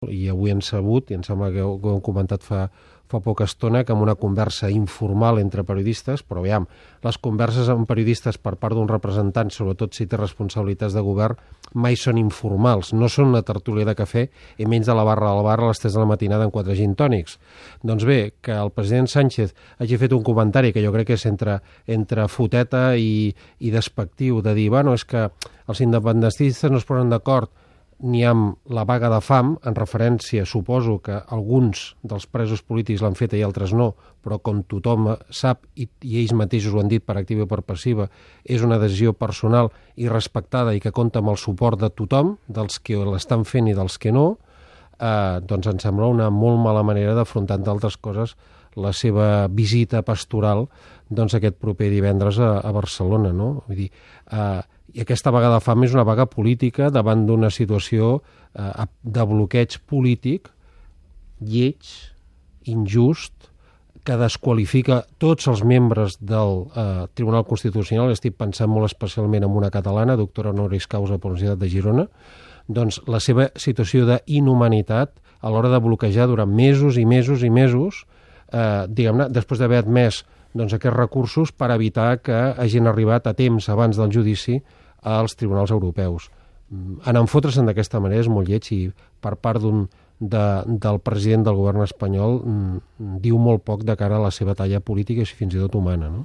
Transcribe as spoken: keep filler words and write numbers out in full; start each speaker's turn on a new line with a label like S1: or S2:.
S1: I avui hem sabut, i em sembla que ho, ho hem comentat fa, fa poca estona, que amb una conversa informal entre periodistes, però aviam, les converses amb periodistes per part d'un representant, sobretot si té responsabilitats de govern, mai són informals, no són una tertúlia de cafè i menys de la barra del bar a les tres de la matinada amb quatre gin tònics. Doncs bé, que el president Sánchez hagi fet un comentari que jo crec que és entre, entre foteta i, i despectiu, de dir, bueno, és que els independentistes no es posen d'acord ni amb la vaga de fam, en referència, suposo que alguns dels presos polítics l'han fet i altres no, però com tothom sap, i, i ells mateixos ho han dit per activa i per passiva, és una decisió personal i respectada i que compta amb el suport de tothom, dels que l'estan fent i dels que no, eh, doncs em sembla una molt mala manera d'afrontar, entre altres coses, la seva visita pastoral doncs, aquest proper divendres a, a Barcelona, no? Vull dir, eh, i aquesta vaga de fam és una vaga política davant d'una situació eh, de bloqueig polític lleig, injust, que desqualifica tots els membres del eh, Tribunal Constitucional. Estic pensant molt especialment en una catalana, doctora honoris causa per la Universitat de Girona, doncs la seva situació d'inhumanitat a l'hora de bloquejar durant mesos i mesos i mesos, eh, diguem-ne, després d'haver admès doncs, aquests recursos per evitar que hagin arribat a temps abans del judici als tribunals europeus. En enfotre's d'aquesta manera és molt lleig i per part d'un, de, del president del govern espanyol diu molt poc de cara a la seva talla política i fins i tot humana, no?